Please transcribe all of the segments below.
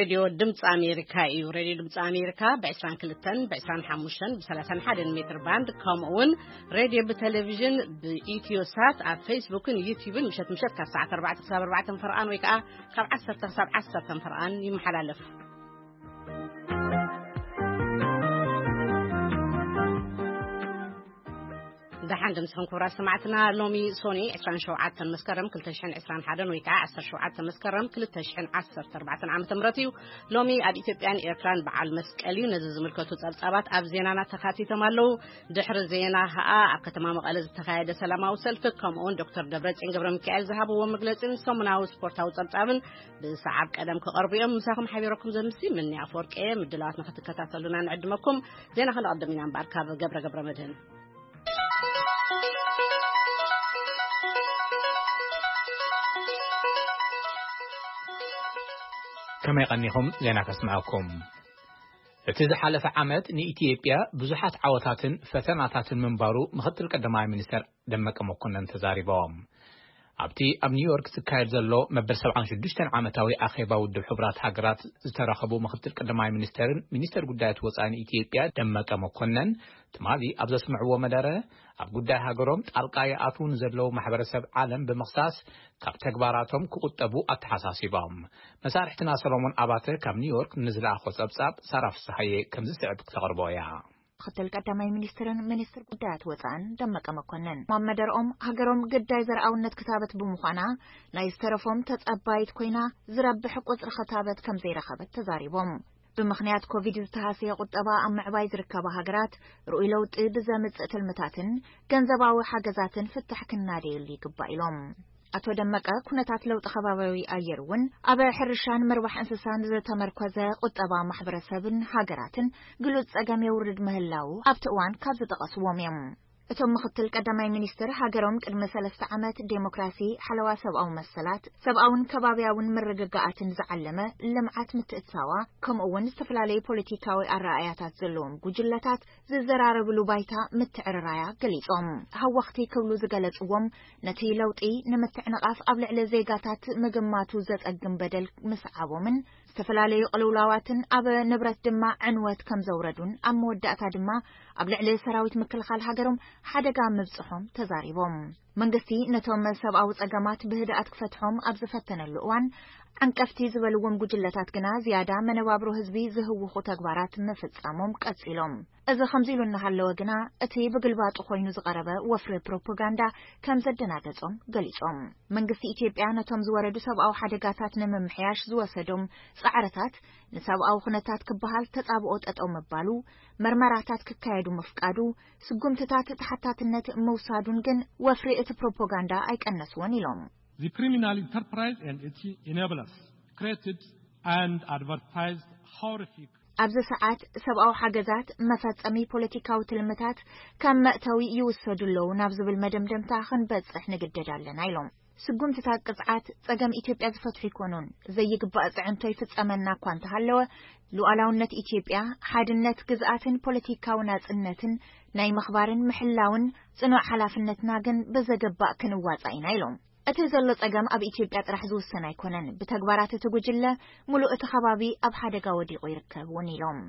ሬድዮ ድምፂ ኣሜሪካ እዩ። ሬድዮ ድምፂ ኣሜሪካ ብ22፣ ብ25፣ ብ31 ሜትር ባንድ፣ ከምኡ እውን ሬድዮ ብቴሌቪዥን ብኢትዮ ሳት ኣብ ፌስቡክን ዩቲዩብን ምሸት ምሸት ካብ ሰዓት ኣርባዕተ ክሳብ ኣርባዕተ ፈርቓን ወይ ከዓ ካብ ዓሰርተ ክሳብ ዓሰርተ ፈርቓን ይመሓላለፍ። ደሓን ድምፅኹም ክቡራት ሰማዕትና። ሎሚ ሶኒ ዕስራን ሸውዓተን መስከረም ክልተ ሽሕን ዕስራን ሓደን ወይ ከዓ ዓሰርተ ሸውዓተ መስከረም ክልተ ሽሕን ዓሰርተ ኣርባዕተን ዓመተ ምህረት እዩ። ሎሚ ኣብ ኢትዮጵያን ኤርትራን በዓል መስቀል እዩ። ነዚ ዝምልከቱ ጸብጻባት ኣብ ዜናና ተካቲቶም ኣለዉ። ድሕሪ ዜና ከዓ ኣብ ከተማ መቐለ ዝተኻየደ ሰላማዊ ሰልፊ፣ ከምኡውን ዶክተር ደብረጽዮን ገብረ ሚካኤል ዝሃብዎ መግለጺን ሰሙናዊ ስፖርታዊ ጸብጻብን ብሰዓብ ቀደም ክቐርቡ እዮም። ምሳኹም ሓቢረኩም ዘምሲ ምኒ ኣፈወርቂ እየ። ምድላዋት ንክትከታተሉና ንዕድመኩም። ዜና ክንቐድም ኢና እምበኣር ካብ ገብረ ገብረ መድህን። ከመይ ቀኒኹም? ዜና ከስምዐኩም። እቲ ዝሓለፈ ዓመት ንኢትዮጵያ ብዙሓት ዓወታትን ፈተናታትን ምንባሩ ምኽትል ቀዳማይ ሚኒስተር ደመቀ መኮነን ተዛሪቦም። ኣብቲ ኣብ ኒውዮርክ ዝካየድ ዘሎ መበል ሰብዓን ሽዱሽተን ዓመታዊ ኣኼባ ውድብ ሕቡራት ሃገራት ዝተረኸቡ ምኽትል ቀዳማይ ሚኒስተርን ሚኒስተር ጉዳያት ወጻኢ ኢትዮጵያ ደመቀ መኮነን፣ ትማሊ ኣብ ዘስምዕዎ መደረ፣ ኣብ ጉዳይ ሃገሮም ጣልቃ ይኣትዉ ንዘለዉ ማሕበረሰብ ዓለም ብምኽሳስ ካብ ተግባራቶም ክቑጠቡ ኣተሓሳሲቦም። መሳርሕትና ሰሎሞን ኣባተ ካብ ኒውዮርክ ንዝለኣኾ ጸብጻብ ሳራ ፍስሓየ ከምዚ ስዕብ ክተቕርቦ እያ። ምኽትል ቀዳማይ ሚኒስትርን ሚኒስትር ጉዳያት ወጻእን ደመቀ መኮንን ኣብ መደርኦም፣ ሃገሮም ግዳይ ዘርኣውነት ክታበት ብምዃና፣ ናይ ዝተረፎም ተጸባይት ኮይና፣ ዝረብሕ ቁጽሪ ክታበት ከም ዘይረኸበት ተዛሪቦም። ብምኽንያት ኮቪድ ዝተሃሰየ ቁጠባ ኣብ ምዕባይ ዝርከባ ሃገራት፣ ርኡይ ለውጢ ብዘምጽእ ትልምታትን ገንዘባዊ ሓገዛትን ፍታሕ ክናደየሉ ይግባእ ኢሎም። ኣቶ ደመቀ፣ ኩነታት ለውጢ ከባቢያዊ ኣየር እውን ኣብ ሕርሻን ምርባሕ እንስሳን ዝተመርኮዘ ቁጠባ ማሕበረሰብን ሃገራትን ግሉጽ ጸገም የውርድ ምህላዉ ኣብቲ እዋን ካብ ዝጠቐስዎም እዮም። እቶም ምኽትል ቀዳማይ ሚኒስትር፣ ሃገሮም ቅድሚ ሰለስተ ዓመት ዴሞክራሲ፣ ሓለዋ ሰብኣዊ መሰላት፣ ሰብኣውን ከባቢያውን ምርግጋኣትን ዝዓለመ ልምዓት ምትእትታዋ፣ ከምኡ እውን ዝተፈላለዩ ፖለቲካዊ ኣረኣእያታት ዘለዎም ጉጅለታት ዝዘራረብሉ ባይታ ምትዕርራያ ገሊጾም። ሃወኽቲ ክብሉ ዝገለጽዎም፣ ነቲ ለውጢ ንምትዕንቓፍ ኣብ ልዕሊ ዜጋታት ምግማቱ ዘጸግም በደል ምስዓቦምን ዝተፈላለዩ ቅልውላዋትን ኣብ ንብረት ድማ ዕንወት ከም ዘውረዱን ኣብ መወዳእታ ድማ ኣብ ልዕሊ ሰራዊት ምክልኻል ሃገሮም ሓደጋ ምብጽሖም ተዛሪቦም። መንግስቲ ነቶም ሰብኣዊ ጸገማት ብህድኣት ክፈትሖም ኣብ ዝፈተነሉ እዋን፣ ዓንቀፍቲ ዝበልዎም ጉጅለታት ግና ዝያዳ መነባብሮ ህዝቢ ዝህውኹ ተግባራት ምፍጻሞም ቀጺሎም። እዚ ከምዚ ኢሉ እናሃለወ ግና፣ እቲ ብግልባጡ ኮይኑ ዝቐረበ ወፍሪ ፕሮፓጋንዳ ከም ዘደናገጾም ገሊጾም። መንግስቲ ኢትዮጵያ ነቶም ዝወረዱ ሰብኣዊ ሓደጋታት ንምምሕያሽ ዝወሰዶም ጻዕርታት፣ ንሰብኣዊ ኩነታት ክበሃል ተጻብኦ ጠጠው ምባሉ፣ መርመራታት ክካየዱ ምፍቃዱ፣ ስጉምትታት ተሓታትነት ምውሳዱን ግን ወፍሪ እቲ ፕሮፓጋንዳ ኣይቀነስዎን ኢሎም። The criminal enterprise and its enablers created and advertised horrific ኣብዚ ሰዓት ሰብኣዊ ሓገዛት መፈጸሚ ፖለቲካዊ ትልምታት ከም መእተዊ ይውሰዱ ኣለዉ ናብ ዝብል መደምደምታ ክንበጽሕ ንግደድ ኣለና ኢሎም። ስጉምትታት ቅጽዓት ጸገም ኢትዮጵያ ዝፈትሑ ኣይኮኑን። ዘይግባእ ጽዕንቶ ይፍጸመና እኳ እንተሃለወ፣ ሉዓላውነት ኢትዮጵያ፣ ሓድነት ግዝኣትን ፖለቲካዊ ናጽነትን ናይ ምኽባርን ምሕላውን ጽኑዕ ሓላፍነትና ግን ብዘገባእ ክንዋጻእ ኢና ኢሎም። እቲ ዘሎ ጸገም ኣብ ኢትዮጵያ ጥራሕ ዝውሰን ኣይኮነን። ብተግባራት እቲ ጉጅለ፣ ምሉእ እቲ ከባቢ ኣብ ሓደጋ ወዲቑ ይርከብ እውን ኢሎም።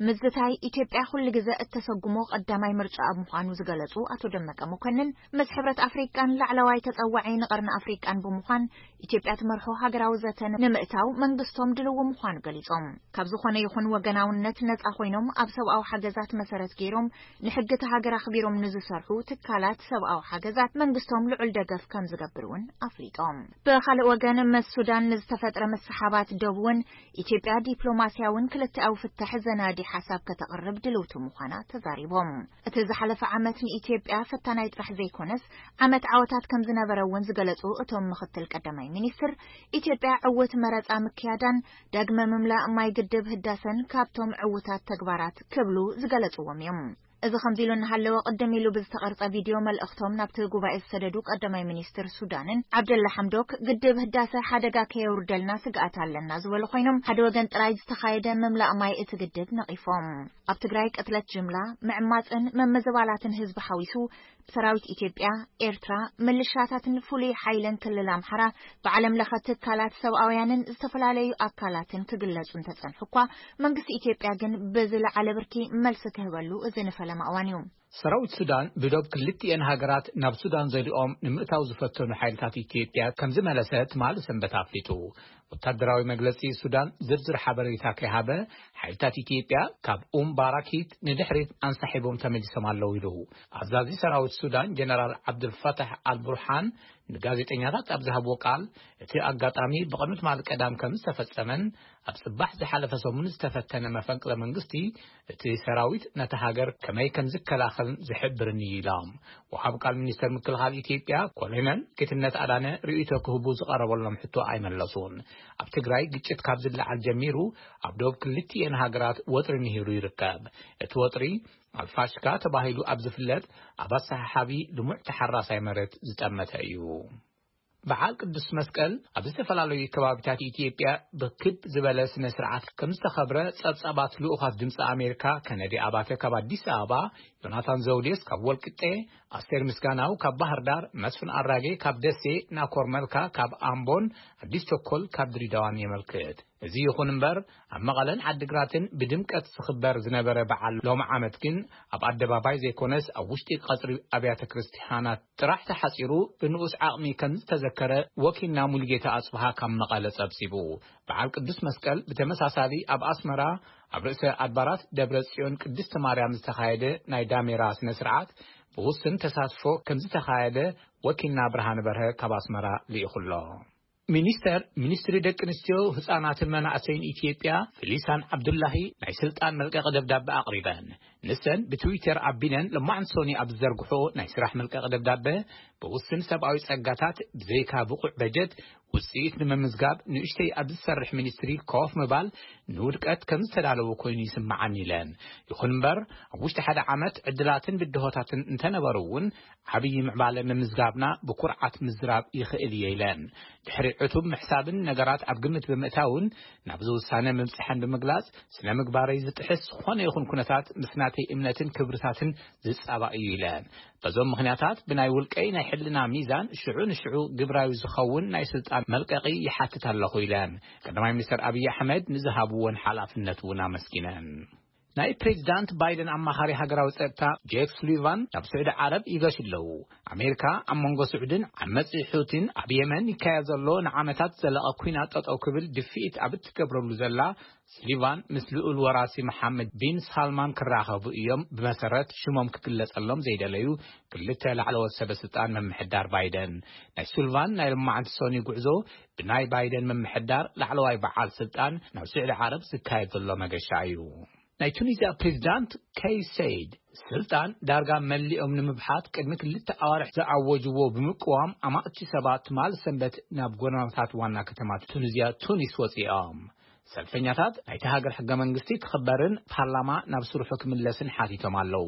ምዝታይ ኢትዮጵያ ኩሉ ግዘ እተሰጉሞ ቀዳማይ ምርጫ ኣብ ምዃኑ ዝገለጹ ኣቶ ደመቀ መኮንን፣ ምስ ሕብረት ኣፍሪቃን ላዕለዋይ ተጸዋዒ ንቐርኒ ኣፍሪቃን ብምዃን ኢትዮጵያ ትመርሖ ሃገራዊ ዘተ ንምእታው መንግስቶም ድልው ምዃኑ ገሊጾም። ካብ ዝኾነ ይኹን ወገናውነት ነጻ ኮይኖም ኣብ ሰብኣዊ ሓገዛት መሰረት ገይሮም ንሕጊ እቲ ሃገር ኣኽቢሮም ንዝሰርሑ ትካላት ሰብኣዊ ሓገዛት መንግስቶም ልዑል ደገፍ ከም ዝገብር እውን ኣፍሊጦም። ብኻልእ ወገን፣ ምስ ሱዳን ንዝተፈጥረ ምስሓባት ዶብ እውን ኢትዮጵያ ዲፕሎማስያውን ክልተኣዊ ፍታሕ ዘናዲ ሓሳብ ከተቕርብ ድልውቲ ምዃና ተዛሪቦም። እቲ ዝሓለፈ ዓመት ንኢትዮጵያ ፈታናይ ጥራሕ ዘይኮነስ፣ ዓመት ዓወታት ከም ዝነበረ እውን ዝገለጹ እቶም ምኽትል ቀዳማይ ሚኒስትር፣ ኢትዮጵያ ዕውት መረጻ ምክያዳን ዳግመ ምምላእ ማይ ግድብ ህዳሰን ካብቶም ዕውታት ተግባራት ክብሉ ዝገለጽዎም እዮም። እዚ ከምዚ ኢሉ እናሃለወ፣ ቅድም ኢሉ ብዝተቐርጸ ቪድዮ መልእኽቶም ናብቲ ጉባኤ ዝሰደዱ ቀዳማይ ሚኒስትር ሱዳንን ዓብደላ ሓምዶክ፣ ግድብ ህዳሰ ሓደጋ ከየውርደልና ስግኣት ኣለና ዝበሉ ኮይኖም፣ ሓደ ወገን ጥራይ ዝተኻየደ ምምላእ ማይ እቲ ግድብ ነቒፎም። ኣብ ትግራይ ቅትለት ጅምላ፣ ምዕማጽን ምምዝባላትን ህዝቢ ሓዊሱ፣ ብሰራዊት ኢትዮጵያ፣ ኤርትራ፣ ምልሻታትን ፍሉይ ሓይልን ክልል ኣምሓራ ብዓለም ለኸ ትካላት ሰብኣውያንን ዝተፈላለዩ ኣካላትን ክግለጹ እንተጸንሑ እኳ፣ መንግስቲ ኢትዮጵያ ግን ብዝለዓለ ብርኪ መልሲ ክህበሉ እዚ ንፈለማ እዋን እዩ። ሰራዊት ሱዳን ብዶብ ክልቲኤን ሃገራት ናብ ሱዳን ዘሊኦም ንምእታው ዝፈተኑ ሓይልታት ኢትዮጵያ ከም ዝመለሰ ትማሊ ሰንበት ኣፍሊጡ። ወታደራዊ መግለጺ ሱዳን ዝርዝር ሓበሬታ ከይሃበ፣ ሓይልታት ኢትዮጵያ ካብ ኡም ባራኪት ንድሕሪት ኣንሳሒቦም ተመሊሶም ኣለዉ ኢሉ። ኣዛዚ ሰራዊት ሱዳን ጀነራል ዓብዱልፈታሕ ኣልቡርሃን ንጋዜጠኛታት ኣብ ዝሃብዎ ቃል፣ እቲ ኣጋጣሚ ብቕድሚ ትማሊ ቀዳም ከም ዝተፈጸመን ኣብ ጽባሕ ዝሓለፈ ሰሙን ዝተፈተነ መፈንቅለ መንግስቲ እቲ ሰራዊት ነታ ሃገር ከመይ ከም ዝከላኸልን ዝሕብርን እዩ ኢሎም። ወሃብ ቃል ሚኒስተር ምክልኻል ኢትዮጵያ ኮሎኔል ጌትነት ኣዳነ ርእይቶ ክህቡ ዝቐረበሎም ሕቶ ኣይመለሱን። ኣብ ትግራይ ግጭት ካብ ዝለዓል ጀሚሩ ኣብ ዶብ ክልቲኤን ሃገራት ወጥሪ ንሂሩ ይርከብ። እቲ ወጥሪ ኣልፋሽካ ተባሂሉ ኣብ ዝፍለጥ ኣብ ኣሰሓሓቢ ልሙዕ ተሓራሳይ መሬት ዝጠመተ እዩ። በዓል ቅዱስ መስቀል ኣብ ዝተፈላለዩ ከባቢታት ኢትዮጵያ ብክብ ዝበለ ስነ ስርዓት ከም ዝተኸብረ ጸብጻባት ልኡኻት ድምፂ ኣሜሪካ ከነዲ ኣባተ ካብ ኣዲስ ኣበባ፣ ዮናታን ዘውዴስ ካብ ወልቅጤ፣ ኣስቴር ምስጋናው ካብ ባህር ዳር፣ መስፍን ኣራጌ ካብ ደሴ፣ ናኮር መልካ ካብ ኣምቦን ኣዲስ ቸኮል ካብ ድሬዳዋን የመልክት። እዚ ይኹን እምበር፣ ኣብ መቐለን ዓዲግራትን ብድምቀት ዝኽበር ዝነበረ በዓል ሎሚ ዓመት ግን ኣብ ኣደባባይ ዘይኮነስ ኣብ ውሽጢ ቀጽሪ ኣብያተ ክርስቲያናት ጥራሕ ተሓጺሩ ብንኡስ ዓቕሚ ከም ዝተዘከረ ወኪልና ሙሉጌታ ኣጽብሃ ካብ መቐለ ጸብጺቡ። በዓል ቅዱስ መስቀል ብተመሳሳሊ ኣብ ኣስመራ ኣብ ርእሰ ኣድባራት ደብረ ጽዮን ቅድስቲ ማርያም ዝተኻየደ ናይ ዳሜራ ስነ ስርዓት ብውስን ተሳትፎ ከም ዝተኻየደ ወኪልና ብርሃነ በርሀ ካብ ኣስመራ ልኢኹ ኣሎ። ሚኒስተር ሚኒስትሪ ደቂ ኣንስትዮ፣ ህጻናትን መናእሰይን ኢትዮጵያ ፊሊሳን ዓብዱላሂ ናይ ስልጣን መልቀቂ ደብዳበ ኣቕሪበን። ንሰን ብትዊተር ኣቢለን ለማዕንቲ ሶኒ ኣብ ዝዘርግሖ ናይ ስራሕ መልቀቂ ደብዳበ፣ ብውስን ሰብኣዊ ጸጋታት ብዘይካ ብቑዕ በጀት ውጽኢት ንምምዝጋብ ንእሽተይ ኣብ ዝሰርሕ ሚኒስትሪ ኮፍ ምባል ንውድቀት ከም ዝተዳለወ ኮይኑ ይስምዓኒ ኢለን። ይኹን እምበር ኣብ ውሽጢ ሓደ ዓመት ዕድላትን ብድሆታትን እንተነበሩ እውን ዓብዪ ምዕባለ ምምዝጋብና ብኩርዓት ምዝራብ ይኽእል እየ ኢለን። ድሕሪ ዕቱብ ምሕሳብን ነገራት ኣብ ግምት ብምእታውን ናብዚ ውሳነ ምብጽሐን ብምግላጽ፣ ስነ ምግባረይ ዝጥሕስ ዝኾነ ይኹን ኩነታት ምስ ናተይ እምነትን ክብርታትን ዝጻባእ እዩ ኢለን። በዞም ምኽንያታት ብናይ ውልቀይ ናይ ሕልና ሚዛን ሽዑ ንሽዑ ግብራዊ ዝኸውን ናይ ስልጣን መልቀቂ ይሓትት ኣለኹ ኢለን። ቀዳማይ ሚኒስትር ኣብይ ኣሕመድ ንዝሃብዎን ሓላፍነት እውን ኣመስጊነን። ናይ ፕሬዚዳንት ባይደን ኣማኻሪ ሃገራዊ ጸጥታ ጄክ ሱሊቫን ናብ ስዑዲ ዓረብ ይገሹ ኣለዉ። ኣሜሪካ ኣብ መንጎ ስዑድን ዓመጺ ሑቲን ኣብ የመን ይካየድ ዘሎ ንዓመታት ዝዘለቐ ኲናት ጠጠው ክብል ድፍኢት ኣብ እትገብረሉ ዘላ፣ ሱሊቫን ምስ ልኡል ወራሲ መሓመድ ቢን ሳልማን ክራኸቡ እዮም፣ ብመሰረት ሽሞም ክግለጸሎም ዘይደለዩ ክልተ ላዕለዎት ሰበ ስልጣን ምምሕዳር ባይደን። ናይ ሱሊቫን ናይ ሎማዓንቲ ሶኒ ጉዕዞ ብናይ ባይደን ምምሕዳር ላዕለዋይ በዓል ስልጣን ናብ ስዑዲ ዓረብ ዝካየድ ዘሎ መገሻ እዩ። ናይ ቱኒዝያ ፕሬዚዳንት ከይስ ሰይድ፣ ስልጣን ዳርጋ መሊኦም ንምብሓት ቅድሚ ክልተ ኣዋርሕ ዝኣወጅዎ ብምቅዋም፣ ኣማእቲ ሰባት ትማል ሰንበት ናብ ጎደናታት ዋና ከተማ ቱኒዝያ ቱኒስ ወጺኦም። ሰልፈኛታት ናይቲ ሃገር ሕገ መንግስቲ ክኽበርን ፓርላማ ናብ ስርሑ ክምለስን ሓቲቶም ኣለዉ።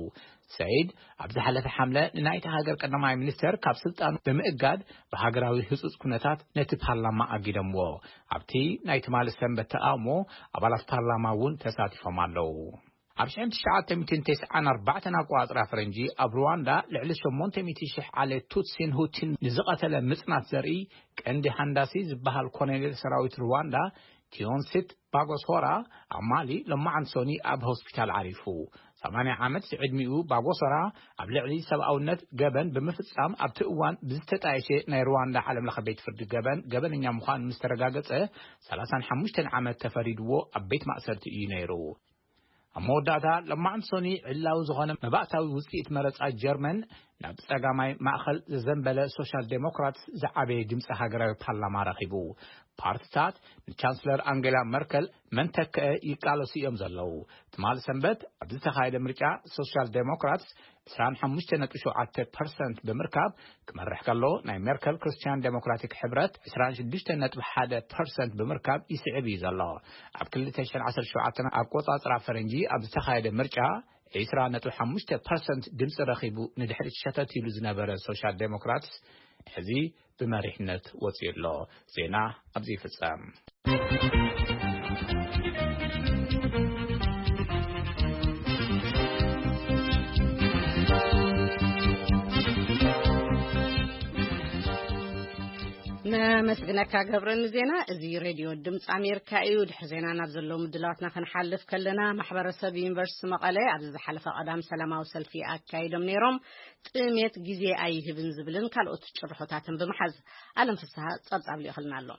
ሰይድ ኣብ ዝሓለፈ ሓምለ ንናይቲ ሃገር ቀዳማይ ሚኒስተር ካብ ስልጣኑ ብምእጋድ፣ ብሃገራዊ ህጹጽ ኩነታት ነቲ ፓርላማ ኣጊደምዎ። ኣብቲ ናይ ትማሊ ሰንበት ተቓውሞ፣ ኣባላት ፓርላማ እውን ተሳቲፎም ኣለዉ። ኣብ ሽሕን ትሽዓተ ሚእትን ተስዓን ኣርባዕተን ኣቆጻጽራ ፈረንጂ፣ ኣብ ሩዋንዳ ልዕሊ ሸሞንተ ሚእቲ ሽሕ ዓሌት ቱትሲን ሁቲን ንዝቐተለ ምጽናት ዘርኢ፣ ቀንዲ ሃንዳሲ ዝበሃል ኮሎኔል ሰራዊት ሩዋንዳ፣ ቲዮንሲት ባጎሶራ፣ ኣብ ማሊ ሎማዓንቲ ሶኒ ኣብ ሆስፒታል ዓሪፉ። ሰማንያ ዓመት ዝዕድሚኡ ባጎሶራ፣ ኣብ ልዕሊ ሰብኣውነት ገበን ብምፍጻም ኣብቲ እዋን ብዝተጣየሸ ናይ ሩዋንዳ ዓለም ለኸ ቤት ፍርዲ ገበን፣ ገበነኛ ምዃኑ ምስ ተረጋገጸ፣ ሰላሳን ሓሙሽተን ዓመት ተፈሪድዎ ኣብ ቤት ማእሰርቲ እዩ ነይሩ። ኣብ መወዳእታ፣ ሎማዓንቲ ሶኒ ዕላዊ ዝኾነ መባእታዊ ውጽኢት መረጻ ጀርመን፣ ናብ ጸጋማይ ማእከል ዘዘንበለ ሶሻል ዴሞክራትስ ዝዓበየ ድምጺ ሃገራዊ ፓርላማ ረኺቡ። ፓርትታት ንቻንስለር ኣንጌላ መርከል መን ተክአ ይቃለሱ እዮም ዘለዉ። ትማሊ ሰንበት ኣብ ዝተኻየደ ምርጫ፣ ሶሻል ዴሞክራትስ ዕስራን ሓሙሽተ ነጥቢ ሸውዓተ ፐርሰንት ብምርካብ ክመርሕ ከሎ፣ ናይ ሜርከል ክርስትያን ዴሞክራቲክ ሕብረት ዕስራን ሽዱሽተ ነጥቢ ሓደ ፐርሰንት ብምርካብ ይስዕብ እዩ ዘሎ። ኣብ ክልተ ሽሕን ዓሰርተ ሸውዓተን ኣቆጻጽራ ፈረንጂ ኣብ ዝተኻየደ ምርጫ፣ ዒስራ ነጥቢ ሓሙሽተ ፐርሰንት ድምፂ ረኺቡ ንድሕሪት ሸተት ኢሉ ዝነበረ ሶሻል ዴሞክራትስ ሕዚ ብመሪሕነት ወፂኡ ኣሎ። ዜና ኣብዚ ይፍፀም። ነመስግነካ ገብረ ንዜና። እዚ ሬድዮ ድምፂ ኣሜሪካ እዩ። ድሕሪ ዜና ናብ ዘለዉ ምድላዋትና ክንሓልፍ ከለና፣ ማሕበረሰብ ዩኒቨርሲቲ መቐለ ኣብዚ ዝሓለፈ ቀዳም ሰላማዊ ሰልፊ ኣካይዶም ነይሮም። ጥሜት ግዜ ኣይህብን ዝብልን ካልኦት ጭርሖታትን ብምሓዝ፣ ኣለም ፍስሃ ጸብጻብ ልኢኽልና ኣሎ።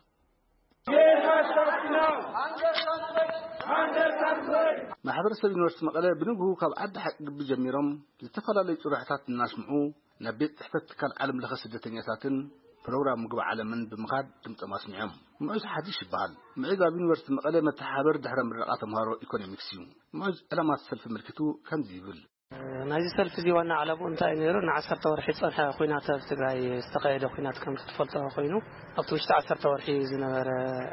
ማሕበረሰብ ዩኒቨርሲቲ መቐለ ብንግሁ ካብ ዓዲ ሓቂ ግቢ ጀሚሮም ዝተፈላለዩ ጭርሖታት እናስምዑ ናብ ቤት ጽሕፈት ትካል ዓለም ለኸ ስደተኛታትን ፕሮግራም ምግቢ ዓለምን ብምኻድ ድምጾም ኣስሚዖም። ምዑዝ ሓዲሽ ይበሃል። ምዑዝ ኣብ ዩኒቨርሲቲ መቐለ መተሓባበሪ ድሕረ ምረቓ ተምሃሮ ኢኮኖሚክስ እዩ። ምዑዝ ዕላማት ሰልፊ ኣመልኪቱ ከምዚ ይብል። ናይዚ ሰልፊ እዚ ዋና ዓላምኡ እንታይ እዩ ነይሩ? ንዓሰርተ ወርሒ ዝጸንሐ ኲናት ኣብ ትግራይ ዝተኻየደ ኲናት ከም ትፈልጦ ኮይኑ፣ ኣብቲ ውሽጢ ዓሰርተ ወርሒ ዝነበረ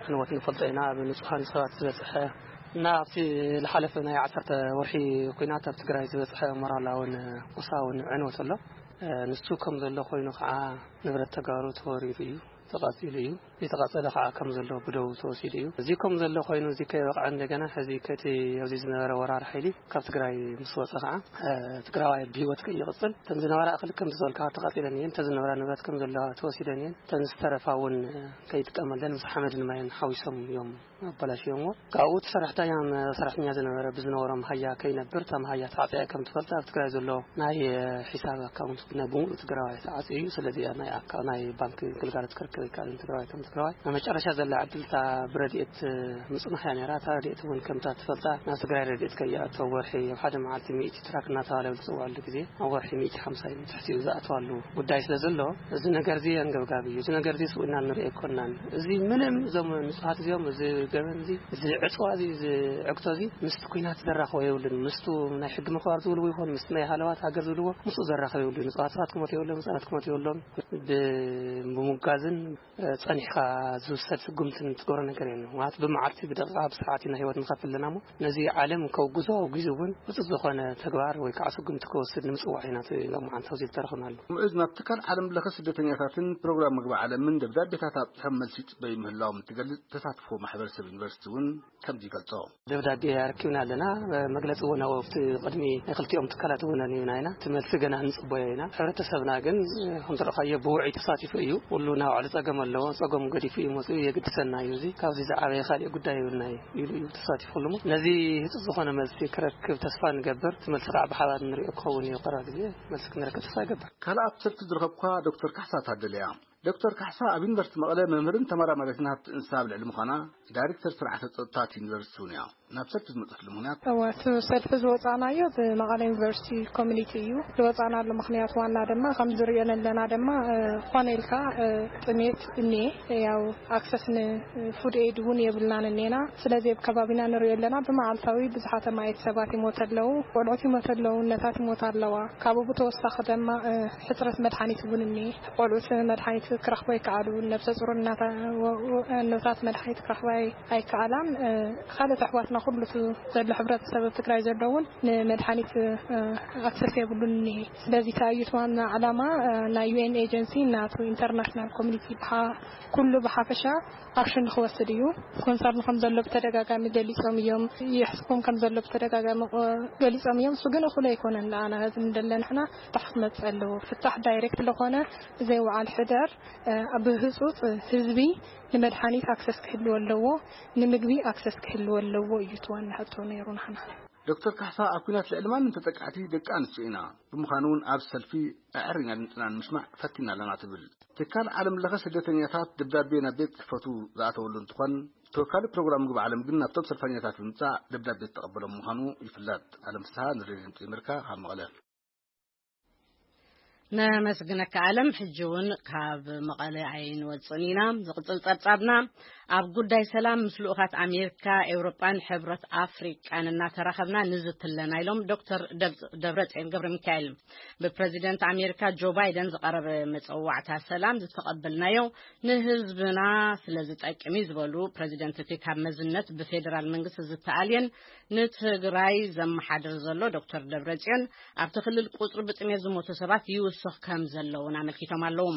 ዕንወት ንፈልጦ ኢና። ኣብ ንጹሃን ሰባት ዝበጽሐ እና ኣብቲ ዝሓለፈ ናይ ዓሰርተ ወርሒ ኲናት ኣብ ትግራይ ዝበጽሐ ሞራላውን ቁሳውን ዕንወት ኣሎ። ንሱ ከም ዘሎ ኮይኑ ከዓ ንብረት ተጋሩ ተወሪሩ እዩ፣ ተቃጺሉ እዩ። ዝተቃጸለ ከዓ ከም ዘሎ ብደው ተወሲዱ እዩ። እዚ ከም ዘሎ ኮይኑ፣ እዚ ከይበቕዐ እንደገና ሕዚ ከቲ ኣብዚ ዝነበረ ወራር ሓይሊ ካብ ትግራይ ምስ ወጸ ከዓ፣ እ፣ ትግራዋይ ብህይወት ከይቕጽል፣ እተን ዝነበራ እኽሊ ከም ዝበልካ ተቃጺለን እየን፣ እተን ዝነበራ ንብረት ከም ዘለዋ ተወሲደን እየን፣ እተን ዝተረፋ እውን ከይጥቀመለን ምስ ሓመድን ማይን ሓዊሶም እዮም ኣበላሽዮምዎ። ካብኡ እቲ ሰራሕተኛ፣ ሰራሕተኛ ዝነበረ ብዝነበሮም ሃያ ከይነብር፣ እታ ሃያ ተዓጽያ ከም ትፈልጥ ኣብ ትግራይ ዘሎ ናይ ሒሳብ ኣካውንት ናይ ብምሉእ ትግራዋይ ተዓጽዩ እዩ። ስለዚ ኣብ ናይ ኣካ-፣ ናይ ባንክ ግልጋሎት ክረክብ ኣይከኣልን ትግራዋይ ከም ትግራዋይ። ኣብ መጨረሻ ዘላ ዕድል እታ ብረድኤት ምጽናሕ እያ ነይራ። እታ ረድኤት እውን ከምታ ትፈልጣ ናብ ትግራይ ረድኤት ከይኣቱ ኣብ ወርሒ ኣብ ሓደ መዓልቲ ሚእቲ ትራክ እናተባለ ኣብ ዝጽውዓሉ ግዜ ኣብ ወርሒ ሚእቲ ሓምሳ እዩ ትሕቲኡ ዝኣትዋሉ ጉዳይ ስለ ዘሎ፣ እዚ ነገር እዚ ኣንገብጋቢ እዩ። እዚ ነገር እዚ ስውእና ንርኢ ኣይኮናን። እዚ ምንም እዞም ንጹሃት እዚኦም፣ እዚ ገበን እዚ፣ እዚ ዕጽዋ እዚ፣ እዚ ዕግቶ እዚ ምስቲ ኲናት ዘራኽቦ የብሉን። ምስቱ ናይ ሕጊ ምኽባር ዝብልዎ ይኹን ምስቲ ናይ ሃለዋት ሃገር ዝብልዎ ምስኡ ዘራኽብ የብሉን። ንጹሃት ሰባት ክሞት የብሎም፣ ህጻናት ክሞት የብሎም። ብ-፣ ብምጉጋዝን ጸኒሕካ ዝውሰድ ስጉምትን ትገብሮ ነገር የለን። ማለት ብመዓልቲ፣ ብደቂቓ፣ ብሰዓት ኢና ህይወት ንኸፍል ኣለና እሞ ነዚ ዓለም ከውግዞ ኣውጊዙ እውን ውጹእ ዝኾነ ተግባር ወይ ከዓ ስጉምቲ ክወስድ ንምጽዋዕ ኢና እቲ ሎማዓንቲ ኣብዚ ዝተረኽብናሉ። ምዑዝ ናብ ትካል ዓለም ለኸ ስደተኛታትን ፕሮግራም ምግቢ ዓለምን ደብዳቤታት ኣብጽሖም መልሲ ይጽበዩ ምህላዎም እትገልጽ ተሳትፎ ማሕበረሰብ ዩኒቨርሲቲ እውን ከምዚ ይገልጾ። ደብዳቤ ኣረኪብና ኣለና። መግለጺ እውን ኣብቲ ቅድሚ ናይ ክልቲኦም ትካላት እውን ኣንቢብና ኢና። እቲ መልሲ ገና ንጽበዮ ኢና። ሕብረተሰብና ግን ከም ዝረኣኻዮ ብውዑይ ተሳቲፉ እዩ። ኩሉ ናይ ባዕሉ ጸገም ኣለዎ። ጸገሙ ገዲፉ እዩ መጺኡ። የግድሰና እዩ እዚ። ካብዚ ዝዓበየ ካሊእ ጉዳይ የብልና እዩ ኢሉ እዩ ተሳቲፉ። ኩሉ እሞ ነዚ ህጹጽ ዝኾነ መልሲ ክረክብ ተስፋ ንገብር። እቲ መልሲ ከዓ ብሓባር ንሪኦ ክኸውን እዩ። ቀረባ ግዜ መልሲ ክንረክብ ተስፋ ይገብር። ካልእ ኣብ ሰልፊ ዝረኸብኳ ዶክተር ካሕሳ ታደለ እያ። ዶክተር ካሕሳ ኣብ ዩኒቨርሲቲ መቐለ መምህርን ተመራማሪትን ሃብቲ እንስሳ ኣብ ልዕሊ ምዃና ዳይሬክተር ስርዓተ ጸጥታ እቲ ዩኒቨርሲቲ እውን እያ። ናብ ሰልፊ ዝመጸትሉ ምኽንያት? እወ፣ እቲ ሰልፊ ዝወጻናዮ ብመቐለ ዩኒቨርሲቲ ኮሚኒቲ እዩ። ዝወጻናሉ ምኽንያት ዋና ድማ ከም ዝሪኦ ዘለና ድማ፣ እ፣ ዝኾነ ኢልካ፣ እ፣ ጥሜት እኒኤ፣ ያው ኣክሰስ ንፉድ ኤድ እውን የብልናን እኒኤና። ስለዚ ኣብ ከባቢና ንሪኦ ኣለና ብመዓልታዊ ብዙሓት ኣማኢት ሰባት ይሞቱ ኣለዉ፣ ቆልዑት ይሞቱ ኣለዉ፣ እነታት ይሞታ ኣለዋ። ካብኡ ብተወሳኺ ድማ፣ እ፣ ሕፅረት መድሓኒት እውን እኒኤ። ቆልዑት መድሓኒት ክረኽቡ ኣይከኣሉን፣ ነብሰ ፁር እናታ-፣ ወ-፣ ወ-፣ እኖታት መድሓኒት ክረኽባ ኣይ-፣ ኣይከኣላን። እ፣ ካልኦት ኣሕዋትና ኩሉ እቲ ዘሎ ሕብረተሰብ ኣብ ትግራይ ዘሎ እውን ንመድሓኒት፣ እ፣ ኣክሰስ የብሉን እኒኤ። ስለዚ እቲ ኣዩት ዋና ዓላማ፣ እ፣ ናይ ዩ ኤን ኤጀንሲ ናቱ ኢንተርናሽናል ኮሚኒቲ ብሓ-፣ ኩሉ ብሓፈሻ ኣክሽን ንክወስድ እዩ። ኮንሰርን ከም ዘሎ ብተደጋጋሚ ገሊጾም እዮም። ይሕስቦም ከም ዘሎ ብተደጋጋሚ፣ እ፣ ገሊጾም እዮም። እሱ ግን እኹል ኣይኮነን። ንኣና ህዝቢ እንደለ ንሕና ፍታሕ ክመጽእ ኣለዎ። ፍታሕ ዳይሬክት ለኾነ ብዘይ ውዓል ሕደር፣ እ፣ ብህጹጽ ህዝቢ ንመድሓኒት ኣክሰስ ክህልዎ ኣለዎ፣ ንምግቢ ኣክሰስ ክህልዎ ኣለዎ እዩ እቲ ዋና ሕቶ ነይሩ ንሕና። ዶክተር ካሕሳ ኣብ ኲናት ልዕሊ ማንም ተጠቃዕቲ ደቂ ኣንስትዮ ኢና። ብምዃኑ እውን ኣብ ሰልፊ ኣዕሪና ድምፅና ንምስማዕ ፈቲና ኣለና ትብል። ትካል ዓለም ለኸ ስደተኛታት ደብዳቤ ናብ ቤት ጽሕፈቱ ዝኣተወሉ እንትኾን፣ ተወካሊ ፕሮግራም ምግቢ ዓለም ግን ናብቶም ሰልፈኛታት ብምጻእ ደብዳቤ ዝተቐበሎም ምዃኑ ይፍለጥ። ኣለም ፍስሃ ንሬድዮ ድምፂ ኣሜሪካ ካብ መቐለ። ነመስግነካ ኣለም። ሕጂ እውን ካብ መቐለ ኣይንወፅን ኢና። ዝቕፅል ጸብጻብና ኣብ ጉዳይ ሰላም ምስ ልኡኻት ኣሜሪካ፣ ኤውሮጳን ሕብረት ኣፍሪቃን እናተራኸብና ንዝቲ ኣለና ኢሎም ዶክተር ደብ-፣ ደብረጽዮን ገብረ ሚካኤል። ብፕረዚደንት ኣሜሪካ ጆ ባይደን ዝቐረበ መጸዋዕታ ሰላም ዝተቐበልናዮ ንህዝብና ስለ ዝጠቅም እዩ ዝበሉ ፕረዚደንት እቲ ካብ መዝነት ብፌዴራል መንግስቲ ዝተኣልየን ንትግራይ ዘመሓድር ዘሎ ዶክተር ደብረጽዮን ኣብቲ ክልል ቁጽሪ ብጥሜት ዝሞቱ ሰባት ይውስኽ ከም ዘለውን ኣመልኪቶም ኣለዉ።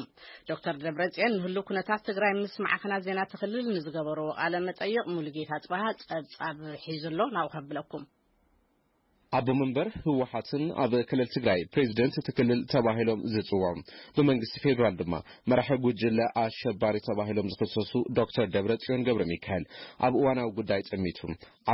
ዶክተር ደብረጽዮን ንህሉ ኩነታት ትግራይ ምስ ማዕኸናት ዜና ትኽልል ንዝገበርዎ ቃለ መጠይቕ ሙሉጌታ ጽባሃ ጸብጻብ ሒዙ ኣሎ፣ ናብኡ ከብለኩም። ኣቦ መንበር ህወሓትን ኣብ ክልል ትግራይ ፕሬዚደንት እቲ ክልል ተባሂሎም ዝጽውዑ፣ ብመንግስቲ ፌዴራል ድማ መራሒ ጉጅለ ኣሸባሪ ተባሂሎም ዝኽሰሱ ዶክተር ደብረጽዮን ገብረ ሚካኤል ኣብ እዋናዊ ጉዳይ ጸሚቱ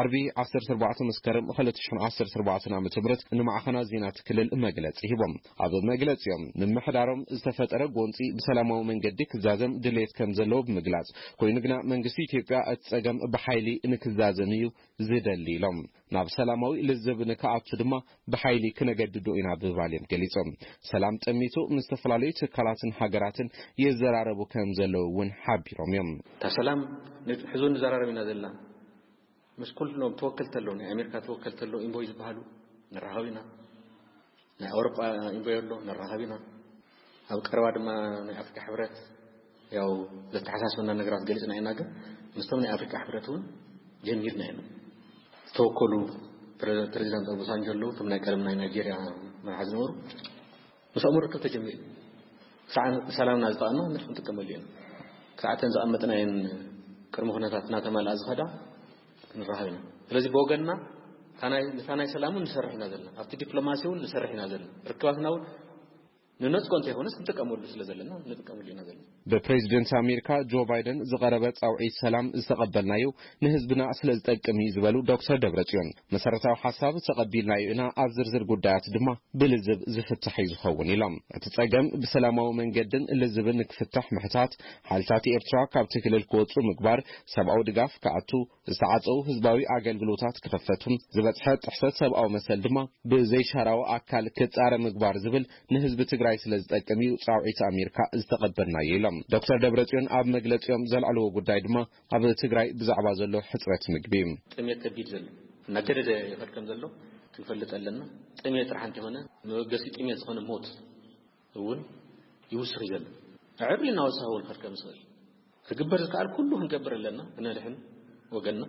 ዓርቢ ዓሰርተ ኣርባዕተ መስከረም ክልተ ሽሕን ዓሰርተ ኣርባዕተን ዓመተ ምህረት ንማዕኸናት ዜና እቲ ክልል መግለጺ ሂቦም። ኣብ መግለጺኦም፣ ምምሕዳሮም ዝተፈጠረ ጎንጺ ብሰላማዊ መንገዲ ክዛዘም ድሌት ከም ዘለዎ ብምግላጽ፣ ኮይኑ ግና መንግስቲ ኢትዮጵያ እቲ ጸገም ብሓይሊ ንክዛዘም እዩ ዝደሊ ኢሎም። ናብ ሰላማዊ ልዝብ ንክኣቱ ድማ ብሓይሊ ክነገድዶ ኢና ብምባል እዮም ገሊጾም። ሰላም ጠሚቱ ምስ ዝተፈላለዩ ትካላትን ሃገራትን ይዘራረቡ ከም ዘለዉ እውን ሓቢሮም እዮም። እታ ሰላም ን-፣ ሕዚ እውን ንዘራረብ ኢና ዘለና። ምስ ኩሎም ተወከልቲ ኣለዉ፣ ናይ ኣሜሪካ ተወከልቲ ኣለዉ፣ ኢንቮይ ዝበሃሉ ንራኸብ ኢና። ናይ ኣውሮጳ ኢንቮይ ኣሎ፣ ንራኸብ ኢና። ኣብ ቀረባ ድማ ናይ ኣፍሪካ ሕብረት ያው ዘተሓሳስበና ነገራት ገሊጽና ኢና፣ ግን ምስቶም ናይ ኣፍሪካ ሕብረት እውን ጀሚርና ኢና። ዝተወከሉ ፕረ-፣ ፕሬዚዳንት ኦባሳንጆ ኣለዉ፣ እቶም ናይ ቀደም ናይ ናይጄርያ መራሒ ዝነበሩ፣ ምስኦም ርክብ ተጀሚሩ። ክሳዕ ሰላምና ዝጠቐና ንሕና ክንጥቀመሉ ኢና። ክሳዕ እተን ዝቐመጥናየን ቅድመ ኩነታት እናተማልኣ ዝኸዳ ክንራኸብ ኢና። ስለዚ ብወገንና እታ ናይ፣ ነታ ናይ ሰላም እውን ንሰርሕ ኢና ዘለና። ኣብቲ ዲፕሎማሲ እውን ንሰርሕ ኢና ዘለና። ርክባትና እውን ንነጽጎ እንተይኮነስ ክንጥቀመሉ ስለ ዘለና ንጥቀመሉ ኢና ዘለና። ብፕሬዚደንት ኣሜሪካ ጆ ባይደን ዝቐረበ ጻውዒት ሰላም ዝተቐበልናዮ ንህዝብና ስለ ዝጠቅም እዩ ዝበሉ ዶክተር ደብረጽዮን፣ መሰረታዊ ሓሳብ ተቐቢልናዮ ኢና፣ ኣብ ዝርዝር ጉዳያት ድማ ብልዝብ ዝፍታሕ እዩ ዝኸውን ኢሎም። እቲ ጸገም ብሰላማዊ መንገድን ልዝብን ንክፍታሕ ምሕታት፣ ሓይልታት ኤርትራ ካብቲ ክልል ክወጹ ምግባር፣ ሰብኣዊ ድጋፍ ክኣቱ፣ ዝተዓጸዉ ህዝባዊ ኣገልግሎታት ክኽፈቱ፣ ዝበጽሐ ጥሕሰት ሰብኣዊ መሰል ድማ ብዘይሻራዊ ኣካል ክጻረ ምግባር ዝብል ንህዝቢ ትግራይ ስለ ዝጠቅም እዩ ጻውዒት ኣሜሪካ ዝተቐበልናዮ ኢሎም። ዶክተር ደብረጽዮን ኣብ መግለጺኦም ዘልዕልዎ ጉዳይ ድማ ኣብ ትግራይ ብዛዕባ ዘሎ ሕጽረት ምግቢ እዩ። ጥሜት ከቢድ ዘሎ እናገደደ ይኸድ ከም ዘሎ ክንፈልጥ ኣለና። ጥሜት ጥራሕ እንተይኮነ መበገሲ ጥሜት ዝኾነ ሞት እውን ይውስኽ እዩ ዘሎ። ኣዕርዩ እናወሰኸ እውን ክርከብ ዝኽእል። ክግበር ዝከኣል ኩሉ ክንገብር ኣለና፣ ክነድሕን ወገንና።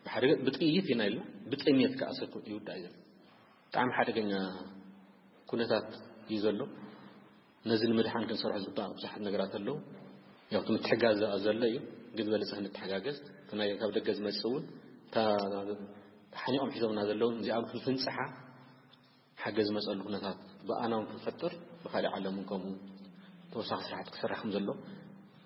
ብሓደ ብጥይት ኢና ኢልና፣ ብጥሜት ከዓ ሰብ ይውዳእ እዩ ዘሎ። ብጣዕሚ ሓደገኛ ኩነታት እዩ ዘሎ። ነዚ ንምድሓን ክንሰርሖ ዝግባእ ብዙሓት ነገራት ኣለዉ። ያው እቲ ምትሕጋዝ ዘሎ እዩ፣ ግን ዝበለፀ ክንተሓጋገዝ፣ እቲ ናይ ካብ ደገ ዝመፅእ እውን፣ እታ ሓኒቖም ሒዞምና ዘለውን እዚኣም ክንፍንፅሓ ሓገዝ ዝመፀሉ ኩነታት ብኣና እውን ክንፈጥር፣ ብካሊእ ዓለም እውን ከምኡ ተወሳኺ ስራሕቲ ክስራሕ ከም ዘሎ፣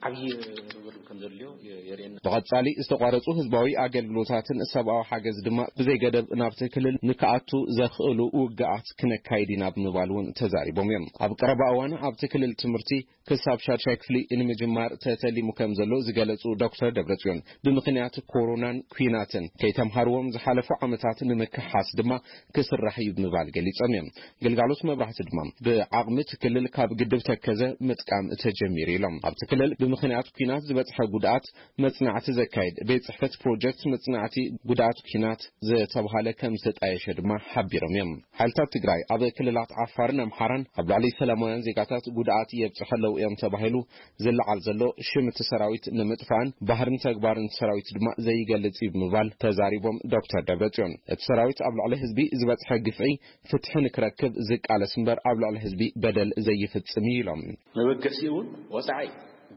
ዓብዪ ርብርብ ከም ዘድልዮ የ-፣ የርእየና። ብቐጻሊ ዝተቋረጹ ህዝባዊ ኣገልግሎታትን ሰብኣዊ ሓገዝ ድማ ብዘይገደብ ናብቲ ክልል ንክኣቱ ዘኽእሉ ውግኣት ክነካይድ ኢና ብምባል እውን ተዛሪቦም እዮም። ኣብ ቀረባ እዋን ኣብቲ ክልል ትምህርቲ ክሳብ ሻድሻይ ክፍሊ ንምጅማር ተተሊሙ ከም ዘሎ ዝገለጹ ዶክተር ደብረጽዮን፣ ብምኽንያት ኮሮናን ኲናትን ከይተምሃርዎም ዝሓለፉ ዓመታት ንምክሓስ ድማ ክስራሕ እዩ ብምባል ገሊጾም እዮም። ግልጋሎት መብራህቲ ድማ ብዓቕሚ እቲ ክልል ካብ ግድብ ተከዘ ምጥቃም ተጀሚሩ ኢሎም። ኣብቲ ክልል ብምኽንያት ኲናት ዝበጽሐ ጉድኣት መጽናዕቲ ዘካየድ ቤት ጽሕፈት ፕሮጀክት መጽናዕቲ ጉድኣት ኲናት ዝተባህለ ከም ዝተጣየሸ ድማ ሓቢሮም እዮም። ሓይልታት ትግራይ ኣብ ክልላት ዓፋርን ኣምሓራን ኣብ ልዕሊ ሰላማውያን ዜጋታት ጉድኣት የብጽሑ ኣለዉ እዮም ተባሂሉ ዝለዓል ዘሎ ሽም እቲ ሰራዊት ንምጥፋእን ባህርን ተግባርን እቲ ሰራዊት ድማ ዘይገልጽ እዩ ብምባል ተዛሪቦም ዶክተር ደብረጽዮን፣ እቲ ሰራዊት ኣብ ልዕሊ ህዝቢ ዝበጽሐ ግፍዒ ፍትሒ ንክረክብ ዝቃለስ እምበር ኣብ ልዕሊ ህዝቢ በደል ዘይፍጽም እዩ ኢሎም። መበገሲኡ እውን ወጻዒ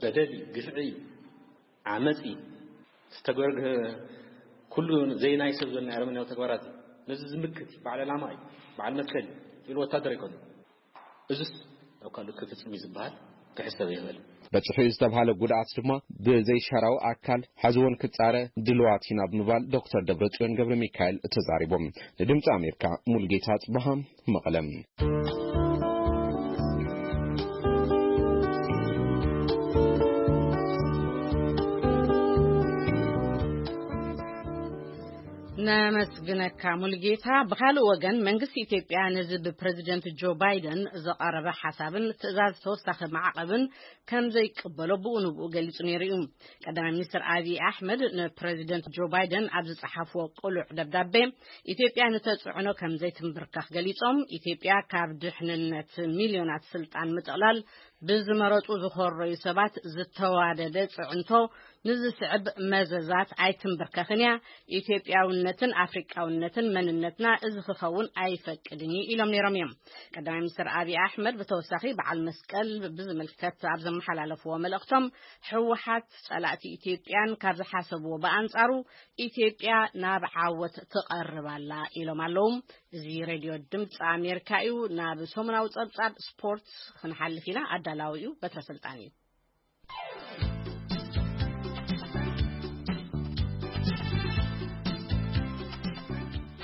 በደል እዩ፣ ግፍዒ እዩ፣ ዓመፅ እዩ። ዝተገበረ ኩሉ ዘይናይ ሰብ ዘሎ ኣረመኔያዊ ተግባራት እዩ። ነዚ ዝምክት እዩ። በዓል ዕላማ እዩ፣ በዓል መትከል እዩ፣ ኢሉ ወታደር ኣይኮነን። እዚስ ኣብ ካልእ ክፍጽም እዩ ዝበሃል ክሕሰብ ይኽእል። በጽሑ ዝተባህለ ጉድኣት ድማ ብዘይሻራዊ ኣካል ሕዚ እውን ክጻረ ድልዋት ኢና ብምባል ዶክተር ደብረጽዮን ገብረ ሚካኤል ተዛሪቦም። ንድምፂ ኣሜሪካ ሙልጌታ ጽበሃ መቐለም። ኣመስግነካ ሙሉጌታ። ብኻልእ ወገን፣ መንግስቲ ኢትዮጵያ ነዚ ብፕረዚደንት ጆ ባይደን ዝቐረበ ሓሳብን ትእዛዝ ተወሳኺ ማዕቐብን ከም ዘይቅበሎ ብኡ ንብኡ ገሊጹ ነይሩ እዩ። ቀዳማይ ሚኒስትር ኣብይ ኣሕመድ ንፕረዚደንት ጆ ባይደን ኣብ ዝጸሓፍዎ ቅሉዕ ደብዳቤ፣ ኢትዮጵያ ንተጽዕኖ ከም ዘይትንብርከኽ ገሊጾም፣ ኢትዮጵያ ካብ ድሕንነት ሚልዮናት ስልጣን ምጥቕላል ብዝመረጹ ዝኾረዩ ሰባት ዝተዋደደ ጽዕንቶ ንዝስዕብ መዘዛት ኣይትንብርከኽን እያ። ኢትዮጵያውነትን ኣፍሪቃውነትን መንነትና እዚ ክኸውን ኣይፈቅድን እዩ ኢሎም ነይሮም እዮም። ቀዳማይ ሚኒስትር ኣብይ ኣሕመድ ብተወሳኺ በዓል መስቀል ብዝምልከት ኣብ ዘመሓላለፍዎ መልእኽቶም፣ ህወሓት ጸላእቲ ኢትዮጵያን ካብ ዝሓሰብዎ ብኣንጻሩ ኢትዮጵያ ናብ ዓወት ትቐርብ ኣላ ኢሎም ኣለዉ። እዚ ሬድዮ ድምፂ ኣሜሪካ እዩ። ናብ ሰሙናዊ ጸብጻብ ስፖርት ክንሓልፍ ኢና። ኣዳላዊ እዩ በትረ ስልጣን እዩ።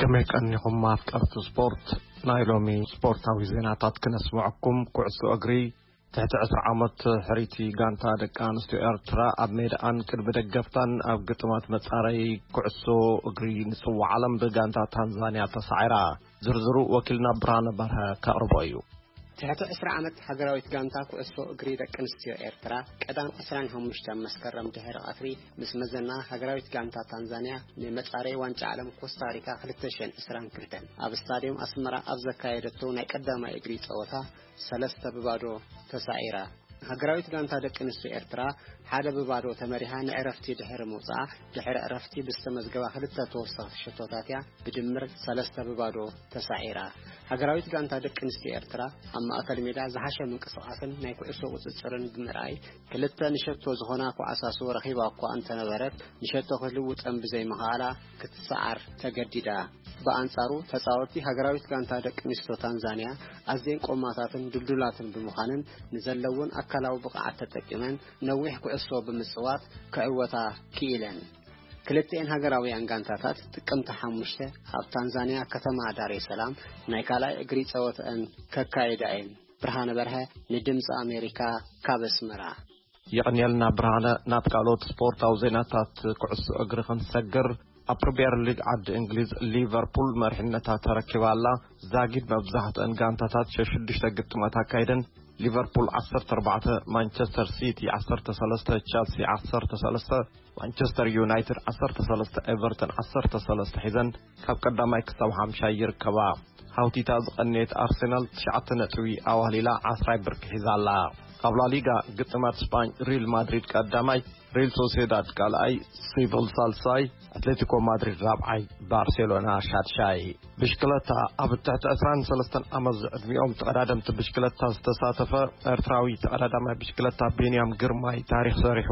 ከመይ ቀኒኹም ኣፍቀርቲ ስፖርት? ናይ ሎሚ ስፖርታዊ ዜናታት ክነስምዐኩም። ኩዕሶ እግሪ ትሕቲ ዕስራ ዓመት ሕርይቲ ጋንታ ደቂ ኣንስትዮ ኤርትራ ኣብ ሜዳኣን ቅድሚ ደገፍታን ኣብ ግጥማት መጻረዪ ኩዕሶ እግሪ ንጽዋዕ ዓለም ብጋንታ ታንዛንያ ተሳዒራ። ዝርዝሩ ወኪልና ብርሃነ በርሀ ከቕርቦ እዩ። ትሕቲ ዕስራ ዓመት ሃገራዊት ጋንታ ኩዕሶ እግሪ ደቂ ኣንስትዮ ኤርትራ ቀዳም ዕስራን ሓሙሽተን መስከረም ድሕሪ ቀትሪ ምስ መዘና ሃገራዊት ጋንታ ታንዛንያ ንመጻረዪ ዋንጫ ዓለም ኮስታሪካ ክልተ ሽሕን ዕስራን ክልተን ኣብ ስታድዮም ኣስመራ ኣብ ዘካየደቶ ናይ ቀዳማይ እግሪ ጸወታ ሰለስተ ብባዶ ተሳዒራ። ሃገራዊት ጋንታ ደቂ ኣንስትዮ ኤርትራ ሓደ ብባዶ ተመሪሓ ንዕረፍቲ ድሕሪ ምውጻኣ፣ ድሕሪ ዕረፍቲ ብዝተመዝገባ ክልተ ተወሰኽቲ ሸቶታት እያ ብድምር ሰለስተ ብባዶ ተሳዒራ። ሃገራዊት ጋንታ ደቂ ኣንስትዮ ኤርትራ ኣብ ማእከል ሜዳ ዝሓሸ ምንቅስቓስን ናይ ኩዕሶ ቁጽጽርን ብምርኣይ፣ ክልተ ንሸቶ ዝኾና ኳዕሳሱ ረኺባ እኳ እንተነበረት፣ ንሸቶ ክትልውጠን ብዘይምኽኣላ ክትሰዓር ተገዲዳ። ብኣንጻሩ፣ ተጻወትቲ ሃገራዊት ጋንታ ደቂ ኣንስትዮ ታንዛንያ ኣዝየን ቆማታትን ድልዱላትን ብምዃንን፣ ንዘለውን ኣካላዊ ብቕዓት ተጠቂመን ነዊሕ ኩዕሶ ብምጽዋት ክዕወታ ክኢለን። ክልተኤን ሃገራውያን ጋንታታት ጥቅምቲ ሓሙሽተ ኣብ ታንዛንያ ከተማ ዳሬ ሰላም ናይ ካልኣይ እግሪ ጸወተአን ከካይዳ እየን። ብርሃነ በርሀ ንድምፂ ኣሜሪካ ካብ ኣስመራ። የቐንየልና ብርሃነ። ናብ ካልኦት ስፖርታዊ ዜናታት ኩዕሶ እግሪ ክንሰግር፣ ኣብ ፕሪምየር ሊግ ዓዲ እንግሊዝ ሊቨርፑል መሪሕነታ ተረኪባ ኣላ። ዛጊድ መብዛሕትአን ጋንታታት ሸሽዱሽተ ግጥማት ኣካይደን። ሊቨርፑል ዓሰርተ ኣርባዕተ፣ ማንቸስተር ሲቲ ዓሰርተ ሰለስተ፣ ቸልሲ ዓሰርተ ሰለስተ፣ ማንቸስተር ዩናይትድ ዓሰርተ ሰለስተ፣ ኤቨርተን ዓሰርተ ሰለስተ ሒዘን ካብ ቀዳማይ ክሳብ ሓምሻይ ይርከባ። ሃውቲታ ዝቐነየት ኣርሰናል ትሽዓተ ነጥቢ ኣዋሊላ ዓስራይ ብርኪ ሒዛ ኣላ። ኣብ ላሊጋ ግጥማት ስጳኝ ሪል ማድሪድ ቀዳማይ፣ ሪል ሶሴዳድ ካልኣይ፣ ሴቪል ሳልሳይ፣ ኣትሌቲኮ ማድሪድ ራብዓይ፣ ባርሴሎና ሻድሻይ። ብሽክለታ፣ ኣብ ትሕቲ ዕስራን ሰለስተን ዓመት ዝዕድሚኦም ተቐዳደምቲ ብሽክለታ ዝተሳተፈ ኤርትራዊ ተቐዳዳማይ ብሽክለታ ቢንያም ግርማይ ታሪኽ ሰሪሑ።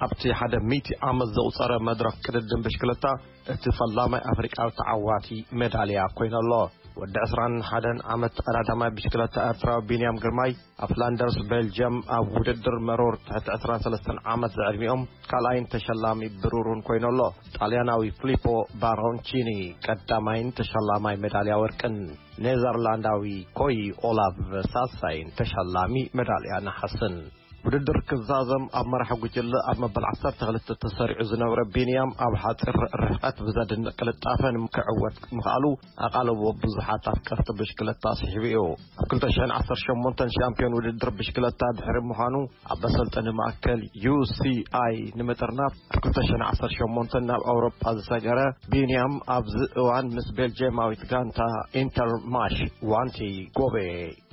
ኣብቲ ሓደ ሚእቲ ዓመት ዘቑጸረ መድረኽ ቅድድም ብሽክለታ፣ እቲ ፈላማይ ኣፍሪቃዊ ተዓዋቲ ሜዳልያ ኮይኑ ኣሎ። ወዲ ዕስራን ሓደን ዓመት ተቐዳዳማይ ብሽክለታ ኤርትራዊ ቢንያም ግርማይ፣ ኣብ ፍላንደርስ ቤልጅየም ኣብ ውድድር መሮር ትሕቲ ዕስራን ሰለስተን ዓመት ዝዕድሚኦም ካልኣይን ተሸላሚ ብሩርን ኮይኑ ኣሎ። ጣልያናዊ ፍሊፖ ባሮንቺኒ ቀዳማይን ተሸላማይ ሜዳልያ ወርቅን፣ ኔዘርላንዳዊ ኮይ ኦላቭ ሳልሳይን ተሸላሚ ሜዳልያ ነሓስን። ውድድር ክዛዘም ኣብ መራሒ ጉጅለ ኣብ መበል ዓሰርተ ክልተ ተሰሪዑ ዝነበረ ቢንያም፣ ኣብ ሓጺር ርሕቀት ብዘድንቕ ቅልጣፈ ክዕወት ምኽኣሉ ኣቓልቦ ብዙሓት ኣፍቀርቲ ብሽክለታ ስሒቡ እዩ። ኣብ ክልተ ሽሕን ዓሰርተ ሸሞንተን ሻምፒዮን ውድድር ብሽክለታ ድሕሪ ምዃኑ፣ ኣብ መሰልጠኒ ማእከል ዩ ሲ ኣይ ንምጥርናፍ ኣብ ክልተ ሽሕን ዓሰርተ ሸሞንተን ናብ ኣውሮጳ ዝሰገረ ቢንያም፣ ኣብዚ እዋን ምስ ቤልጅየማዊት ጋንታ ኢንተርማሽ ዋንቲ ጎቤ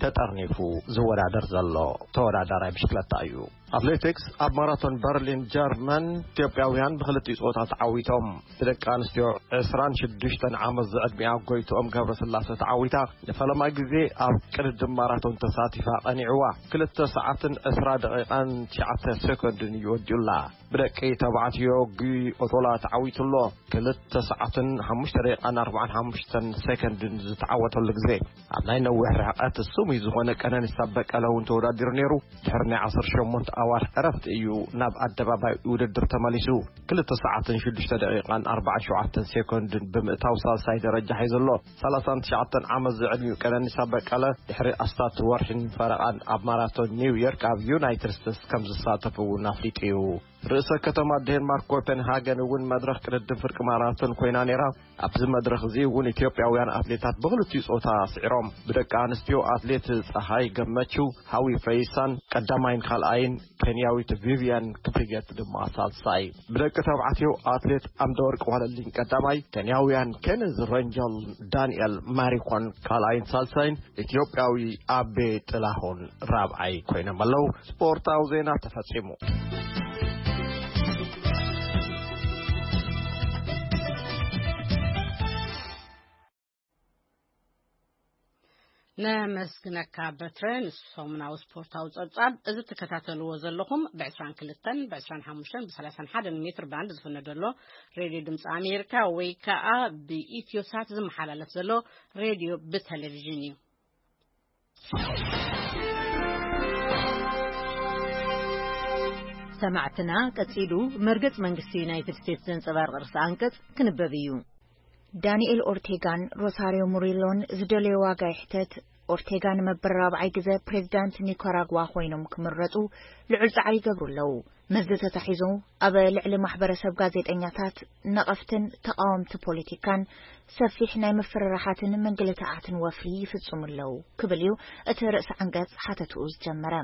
ተጠርኒፉ ዝወዳደር ዘሎ ተወዳዳራይ ብሽክለታ እዩ። ኣትሌቲክስ፣ ኣብ ማራቶን በርሊን ጀርመን ኢትዮጵያውያን ብክልቲኡ ጾታ ተዓዊቶም። ብደቂ ኣንስትዮ ዕስራን ሽዱሽተን ዓመት ዝዕድሚኣ ጎይትኦም ገብረስላሴ ተዓዊታ፣ ንፈለማይ ግዜ ኣብ ቅድድም ማራቶን ተሳቲፋ ቀኒዕዋ። ክልተ ሰዓትን ዕስራ ደቂቓን ትሽዓተ ሴኮንድን እዩ ወዲኡላ። ብደቂ ተባዕትዮ ጉይ ኦቶላ ተዓዊቱ ኣሎ። ክልተ ሰዓትን ሓሙሽተ ደቂቓን ኣርባዓን ሓሙሽተን ሴኮንድን ዝተዓወተሉ ግዜ። ኣብ ናይ ነዊሕ ርሕቀት ስሙይ ዝኾነ ቀነኒሳ በቀለ እውን ተወዳዲሩ ነይሩ። ድሕሪ ናይ ዓሰርተ ሸሞንተ ኣዋርሕ ዕረፍቲ እዩ ናብ ኣደባባይ ውድድር ተመሊሱ። ክልተ ሰዓትን ሽዱሽተ ደቂቓን ኣርባዓን ሸውዓተን ሴኮንድን ብምእታው ሳልሳይ ደረጃ ሒዙ ኣሎ። ሰላሳን ትሽዓተን ዓመት ዝዕድሚኡ ቀነኒሳ በቀለ፣ ድሕሪ ኣስታት ወርሕን ፈረቓን ኣብ ማራቶን ኒውዮርክ ኣብ ዩናይትድ ስቴትስ ከም ዝሳተፍ እውን ኣፍሊጡ እዩ። ርእሰ ከተማ ዴንማርክ ኮፐንሃገን እውን መድረኽ ቅድድም ፍርቂ ማራቶን ኮይና ነይራ። ኣብዚ መድረኽ እዚ እውን ኢትዮጵያውያን ኣትሌታት ብኽልቲኡ ጾታ ስዒሮም። ብደቂ ኣንስትዮ ኣትሌት ጸሃይ ገመቹ፣ ሃዊ ፈይሳን ቀዳማይን ካልኣይን፣ ኬንያዊት ቪቪያን ክፕሪገት ድማ ሳልሳይ። ብደቂ ተባዕትዮ ኣትሌት ኣምደወርቅ ዋለልኝ ቀዳማይ፣ ኬንያውያን ኬነዝ ረንጀል፣ ዳንኤል ማሪኮን ካልኣይን ሳልሳይን፣ ኢትዮጵያዊ ኣቤ ጥላሁን ራብዓይ ኮይኖም ኣለዉ። ስፖርታዊ ዜና ተፈጺሙ። ነመስግነካ በትረ። ንሰሙናዊ ስፖርታዊ ጸብጻብ፣ እዚ ትከታተልዎ ዘለኹም ብ22፣ ብ25፣ ብ31 ሜትር ባንድ ዝፍነ ዘሎ ሬድዮ ድምፂ ኣሜሪካ ወይ ከዓ ብኢትዮ ሳት ዝመሓላለፍ ዘሎ ሬድዮ ብቴሌቪዥን እዩ። ሰማዕትና፣ ቀጺሉ መርገጽ መንግስቲ ዩናይትድ ስቴትስ ዘንጸባርቕ ርእሰ ኣንቀጽ ክንበብ እዩ። ዳንኤል ኦርቴጋን ሮሳሪዮ ሙሪሎን ዝደለዮ ዋጋ ይሕተት። ኦርቴጋ ንመበል ራብዓይ ግዘ ፕሬዚዳንት ኒካራጓ ኮይኖም ክምረጹ ልዑል ጻዕሪ ይገብሩ ኣለዉ። መዚ ተታሒዙ ኣብ ልዕሊ ማሕበረሰብ ጋዜጠኛታት፣ ነቐፍትን ተቓወምቲ ፖለቲካን ሰፊሕ ናይ ምፍርራሓትን ምንግልታዓትን ወፍሪ ይፍጽሙ ኣለዉ ክብል እዩ እቲ ርእሰ ዓንቀጽ ሓተትኡ ዝጀመረ።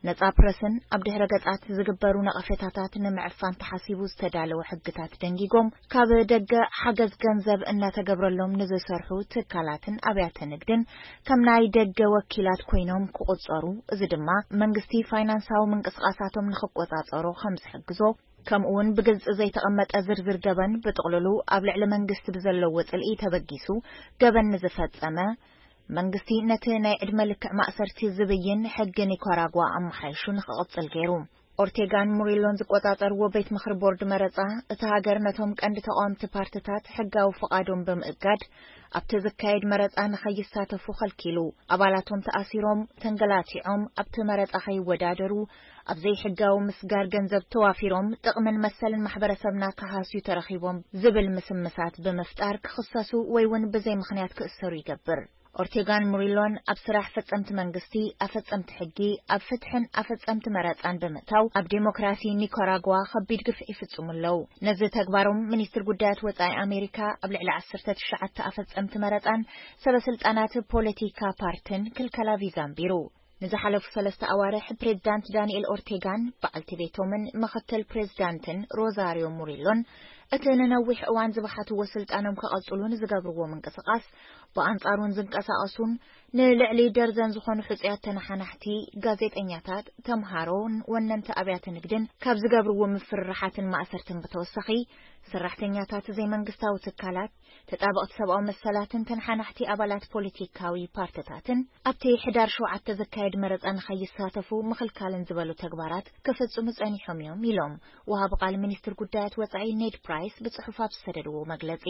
ነጻ ፕረስን ኣብ ድሕረ ገጻት ዝግበሩ ነቐፌታታት ንምዕፋን ተሓሲቡ ዝተዳለወ ሕግታት ደንጊጎም፣ ካብ ደገ ሓገዝ ገንዘብ እናተገብረሎም ንዝሰርሑ ትካላትን ኣብያተ ንግድን ከም ናይ ደገ ወኪላት ኮይኖም ክቑጸሩ፣ እዚ ድማ መንግስቲ ፋይናንሳዊ ምንቅስቓሳቶም ንኽቆጻጸሮ ከም ዝሕግዞ፣ ከምኡውን ብግልጺ ዘይተቐመጠ ዝርዝር ገበን ብጥቕልሉ ኣብ ልዕሊ መንግስቲ ብዘለዎ ጽልኢ ተበጊሱ ገበን ንዝፈጸመ፣ መንግስቲ ነቲ ናይ ዕድመ ልክዕ ማእሰርቲ ዝብይን ሕጊ ኒካራጓ ኣመሓይሹ ንኽቕጽል ገይሩ። ኦርቴጋን ሙሪሎን ዝቆጻጸርዎ ቤት ምኽሪ ቦርድ መረጻ፣ እታ ሃገር ነቶም ቀንዲ ተቓወምቲ ፓርትታት ሕጋዊ ፍቓዶም ብምእጋድ፣ ኣብቲ ዝካየድ መረጻ ንኸይሳተፉ ኸልኪሉ። ኣባላቶም ተኣሲሮም፣ ተንገላቲዖም፣ ኣብቲ መረጻ ኸይወዳደሩ፣ ኣብ ዘይሕጋዊ ምስጋር ገንዘብ ተዋፊሮም፣ ጥቕምን መሰልን ማሕበረሰብና ክሃስዩ ተረኺቦም ዝብል ምስምሳት ብምፍጣር ክኽሰሱ ወይ እውን ብዘይ ምኽንያት ክእሰሩ ይገብር። ኦርቴጋን ሙሪሎን ኣብ ስራሕ ፈጸምቲ መንግስቲ፣ ኣፈጸምቲ ሕጊ፣ ኣብ ፍትሕን ኣፈጸምቲ መረጻን ብምእታው፣ ኣብ ዴሞክራሲ ኒካራጓ ከቢድ ግፍዒ ይፍጽሙ ኣለዉ። ነዚ ተግባሮም፣ ሚኒስትር ጉዳያት ወጻኢ ኣሜሪካ ኣብ ልዕሊ ዓሰርተ ትሽዓተ ኣፈጸምቲ መረጻን ሰበ ስልጣናት ፖለቲካ ፓርትን ክልከላ ቪዛ ኣንቢሩ። ንዝሓለፉ ሰለስተ ኣዋርሕ፣ ፕሬዚዳንት ዳንኤል ኦርቴጋን በዓልቲ ቤቶምን ምኽትል ፕሬዚዳንትን ሮዛሪዮ ሙሪሎን፣ እቲ ንነዊሕ እዋን ዝበሓትዎ ስልጣኖም ከቐጽሉ ንዝገብርዎ ምንቅስቓስ፣ ብኣንጻሩን ዝንቀሳቐሱን ንልዕሊ ደርዘን ዝኾኑ ሕጹያት ተነሓናሕቲ፣ ጋዜጠኛታት፣ ተምሃሮን ወነንቲ ኣብያተ ንግድን ካብ ዝገብርዎ ምፍርራሓትን ማእሰርትን ብተወሳኺ፣ ሰራሕተኛታት ዘይመንግስታዊ ትካላት፣ ተጣበቕቲ ሰብኣዊ መሰላትን ተነሓናሕቲ ኣባላት ፖለቲካዊ ፓርትታትን ኣብቲ ሕዳር ሸውዓተ ዝካየድ መረጻ ንኸይሳተፉ ምኽልካልን ዝበሉ ተግባራት ክፍጽሙ ጸኒሖም እዮም ኢሎም ወሃቢ ቃል ሚኒስትር ጉዳያት ወጻኢ ኔድ ፕራይስ ብጽሑፍ ኣብ ዝሰደድዎ መግለጺ።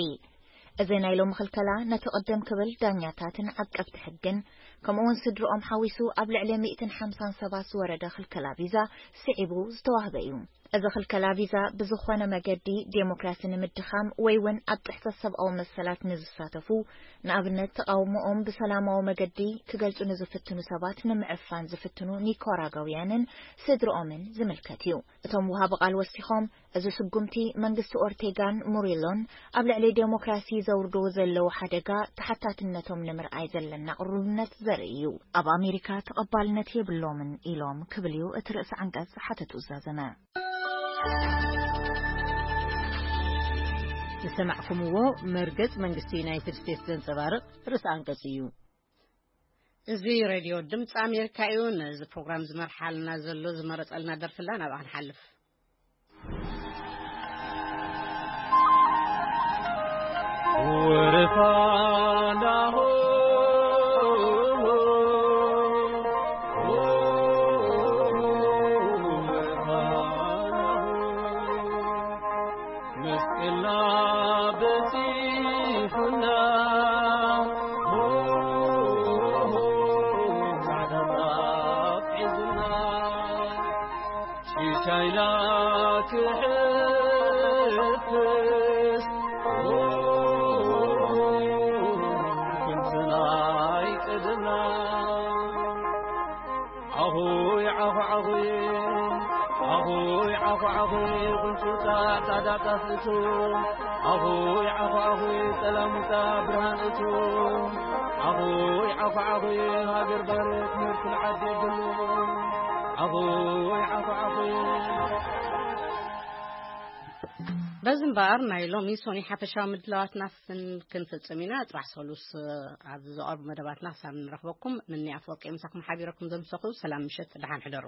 እዚ ናይ ሎሚ ክልከላ ነቲ ቅድም ክብል ዳኛታትን ዓቀብቲ ሕግን ከምኡውን ስድርኦም ሓዊሱ ኣብ ልዕሊ ሚእትን ሓምሳን ሰባት ዝወረደ ክልከላ ቪዛ ስዒቡ ዝተዋህበ እዩ። እዚ ክልከላ ቪዛ ብዝኾነ መገዲ ዴሞክራሲ ንምድኻም ወይ እውን ኣብ ጥሕሰት ሰብኣዊ መሰላት ንዝሳተፉ፣ ንኣብነት ተቓውሞኦም ብሰላማዊ መገዲ ክገልጹ ንዝፍትኑ ሰባት ንምዕፋን ዝፍትኑ ኒካራጋውያንን ስድርኦምን ዝምልከት እዩ። እቶም ወሃቢ ቃል ወሲኾም፣ እዚ ስጉምቲ መንግስቲ ኦርቴጋን ሙሪሎን ኣብ ልዕሊ ዴሞክራሲ ዘውርድዎ ዘለዉ ሓደጋ ተሓታትነቶም ንምርኣይ ዘለና ቅሩብነት ዘርኢ እዩ። ኣብ ኣሜሪካ ተቐባልነት የብሎምን ኢሎም ክብል እዩ እቲ ርእሰ ዓንቀጽ ሓተቱ ዝዛዘመ። ዝሰማዕኩምዎ መርገጽ መንግስቲ ዩናይትድ ስቴትስ ዘንጸባርቕ ርእሰ ኣንቀጽ እዩ። እዚ ሬድዮ ድምፂ ኣሜሪካ እዩ። ነዚ ፕሮግራም ዝመርሓልና ዘሎ ዝመረጸልና ደርፍላ ናብኣ ንሓልፍ። ዓኹ ዓኹ ጉንጭውታ ጻዕዳ ጣፍ እቱ፣ ዓኹ ዓኹ ዓኹ ጸላሙታ ብርሃን እቱ፣ ዓኹ ዓኹ ዓኹ ሃገር ባርት ምርኩል ዓዲ ብሉ፣ ዓኹ ዓኹ ዓኹ። በዚ እምበኣር ናይ ሎሚ ሶኒ ሓፈሻዊ ምድላዋትና ስን ክንፍጽም ኢና። ጽባሕ ሰሉስ ኣብ ዝቐርቡ መደባትና ክሳብ ንረኽበኩም፣ ንኒ ኣፈወርቂ ምሳኹም ሓቢረኩም ዘምሰኹ። ሰላም ምሸት፣ ደሓን ሕደሩ።